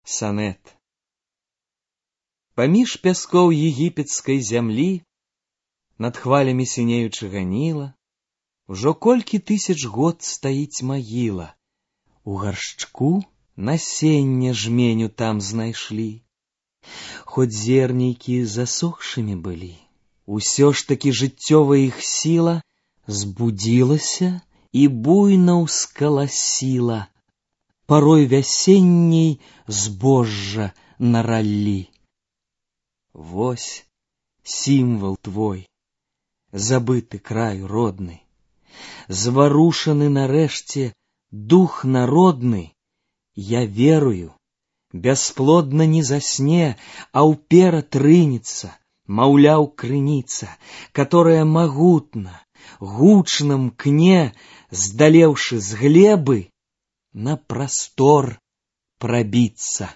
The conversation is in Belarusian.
Санет. Паміж пяскоў егіпецкай зямлі, над хвалямі сінеючага Ніла, ужо колькі тысяч год стаіць магіла. У гаршчку насенне жменю там знайшлі. Хоць зернейкі засохшымі былі, усё ж такі жыццёвая іх сіла збудзілася і буйна ўскаласіла, парой вясенняй збожжа нараллі. Вось сімвал твой, забыты краю родны, зварушаны нарэшце дух народны. Я верую, бясплодна не засне, а ўперад рынецца, маўляў, крыніца, которая магутна, гучна мкне, здалеўшы з глебы, на прастор прабіцца.